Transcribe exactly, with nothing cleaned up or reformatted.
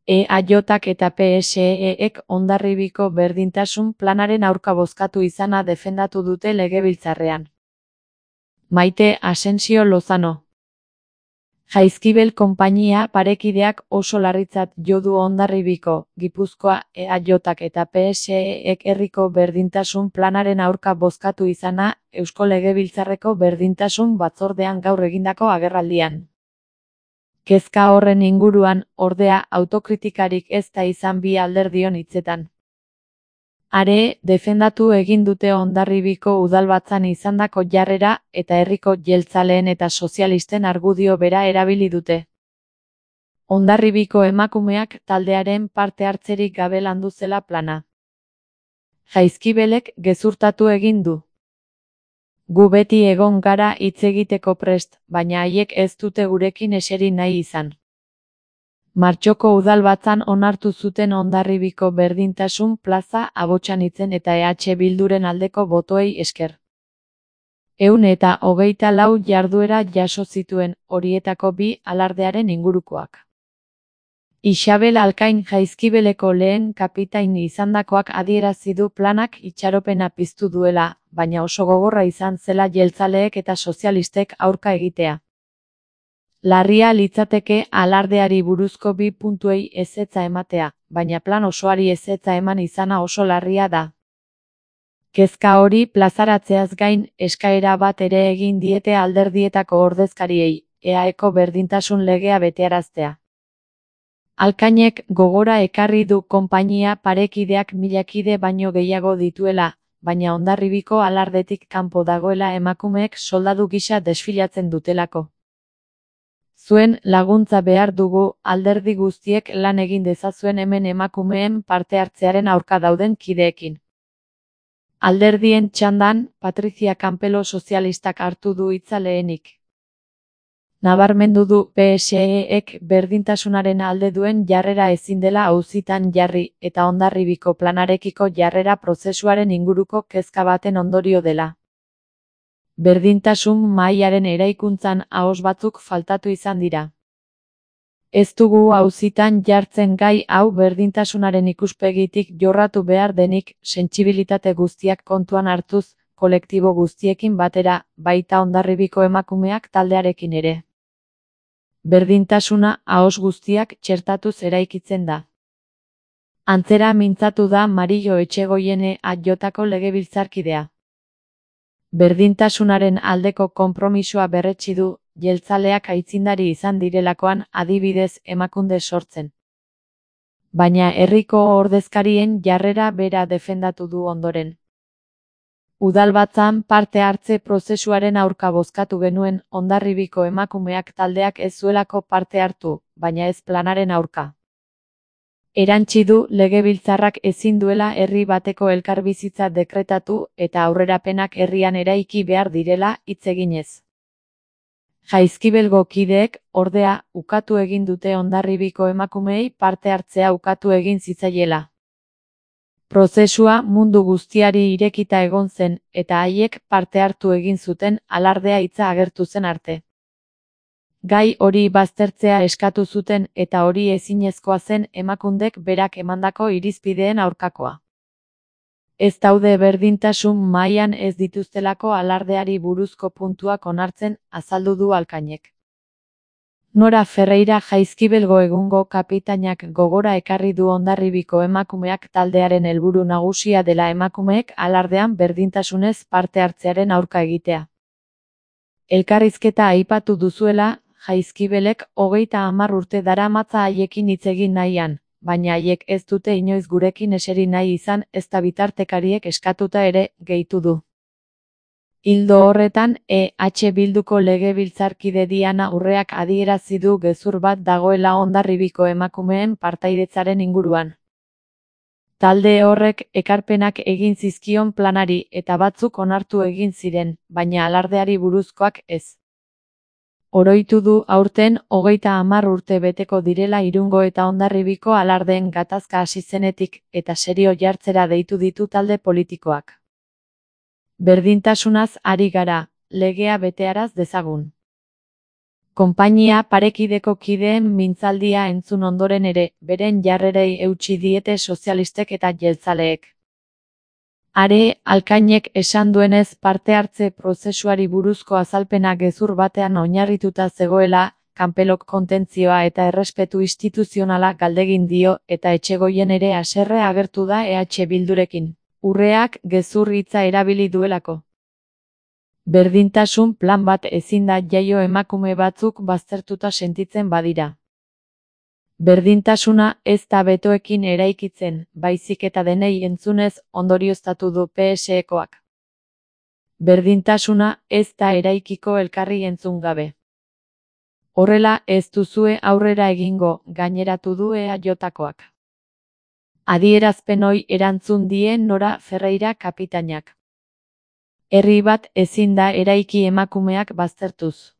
E A J eta P S E ek Hondarribiko berdintasun planaren aurka bozkatu izana defendatu dute legebiltzarrean. Maite Asensio Lozano. Jaizkibel konpainia parekideak oso larritzat jo du Hondarribiko, Gipuzkoa, E A J eta P S E ek herriko berdintasun planaren aurka bozkatu izana Eusko Legebiltzarreko berdintasun batzordean gaur egindako agerraldian. Kezka horren inguruan, ordea, autokritikarik ez da izan bi alderdion hitzetan. Are, defendatu egin dute Hondarribiko udalbatzan izandako jarrera eta herriko jeltzaleen eta sozialisten argudio bera erabili dute. Hondarribiko emakumeak taldearen parte hartzerik gabe landu zela plana. Jaizkibelek gezurtatu egin du. Gu beti egon gara hitz egiteko prest, baina haiek ez dute gurekin eseri nahi izan. Martxoko udalbatzan onartu zuten Hondarribiko berdintasun plaza Abotxanitzen eta E H Bilduren aldeko botoei esker. Ehun eta hogeita lau jarduera jaso zituen, horietako bi alardearen ingurukoak. Isabel Alkain Jaizkibeleko lehen kapitain izandakoak adierazi du planak itxaropena piztu duela, baina oso gogorra izan zela jeltzaleek eta sozialistek aurka egitea. Larria litzateke alardeari buruzko bi puntuei ezetza ematea, baina plan osoari ezetza eman izana oso larria da. Kezka hori plazaratzeaz gain, eskaera bat ere egin diete alderdietako ordezkariei, E A eko berdintasun legea betearaztea. Alkainek gogora ekarri du konpainia parekideak milakide baino gehiago dituela, baina Hondarribiko alardetik kanpo dagoela emakumeek soldadu gisa desfilatzen dutelako. Zuen laguntza behar dugu, alderdi guztiek lan egin dezazuen hemen emakumeen parte hartzearen aurka dauden kideekin. Alderdien txandan, Patrizia Campelo sozialistak hartu du hitza lehenik. Nabarmendu du P S E ek berdintasunaren alde duen jarrera ezin dela auzitan jarri eta Hondarribiko planarekiko jarrera prozesuaren inguruko kezka baten ondorio dela. Berdintasun mahaiaren eraikuntzan ahoz batzuk faltatu izan dira. Ez dugu auzitan jartzen gai hau berdintasunaren ikuspegitik jorratu behar denik, sentsibilitate guztiak kontuan hartuz, kolektibo guztiekin batera, baita Hondarribiko emakumeak taldearekin ere. Berdintasuna ahoz guztiak txertatuz eraikitzen da. Antzera mintzatu da Mario Etxegoiene A Jko legebiltzarkidea. Berdintasunaren aldeko konpromisoa berretsi du, jeltzaleak aitzindari izan direlakoan adibidez Emakunde sortzen. Baina herriko ordezkarien jarrera bera defendatu du ondoren. Udalbatzan parte hartze prozesuaren aurka bozkatu genuen Hondarribiko emakumeak taldeak ez zuelako parte hartu, baina ez planaren aurka. Erantsi du legebiltzarrak ezin duela herri bateko elkarbizitza dekretatu eta aurrerapenak herrian eraiki behar direla hitz eginez. Jaizkibelgo kideek, ordea, ukatu egin dute Hondarribiko emakumeei parte hartzea ukatu egin zitzaiela. Prozesua mundu guztiari irekita egon zen, eta haiek parte hartu egin zuten alardea hitza agertu zen arte. Gai hori baztertzea eskatu zuten eta hori ezinezkoa zen Emakundek berak emandako irizpideen aurkakoa. Ez daude berdintasun mahaian ez dituztelako alardeari buruzko puntuak onartzen, azaldu du Alkainek. Nora Ferreira Jaizkibelgo egungo kapitainak gogora ekarri du Hondarribiko emakumeak taldearen helburu nagusia dela emakumeek alardean berdintasunez parte hartzearen aurka egitea. Elkarrizketa aipatu duzuela, Jaizkibelek hogeita hamar urte daramatza haiekin hitz egin nahian, baina haiek ez dute inoiz gurekin eseri nahi izan ezta bitartekariek eskatuta ere, gehitu du. Ildo horretan, E H Bilduko legebiltzarkide Diana Urreak adierazi du gezur bat dagoela Hondarribiko emakumeen partaidetzaren inguruan. Talde horrek ekarpenak egin zizkion planari eta batzuk onartu egin ziren, baina alardeari buruzkoak ez. Oroitu du aurten hogeita hamar urte beteko direla Irungo eta Hondarribiko alardeen gatazka hasi zenetik eta serio jartzera deitu ditu talde politikoak. Berdintasunaz ari gara, legea betearaz dezagun. Konpainia parekideko kideen mintzaldia entzun ondoren ere, beren jarrerei eutsi diete sozialistek eta jeltzaleek. Are, Alkainek esan duenez parte hartze prozesuari buruzko azalpena gezur batean oinarrituta zegoela, kanpelok kontentzioa eta errespetu instituzionala galdegin dio eta Etxegoien ere haserre agertu da E H Bildurekin. Urreak gezur hitza erabili duelako. Berdintasun plan bat ezin da jaio emakume batzuk baztertuta sentitzen badira. Berdintasuna ez da betoekin eraikitzen, baizik eta denei entzunez ondorioztatu du P S Ekoak. Berdintasuna ez da eraikiko elkarri entzun gabe. Horrela ez duzue aurrera egingo, gaineratu du E A Jokoak. Adierazpen hori erantzun die Nora Ferreira kapitainak. Herri bat ezin da eraiki emakumeak baztertuz.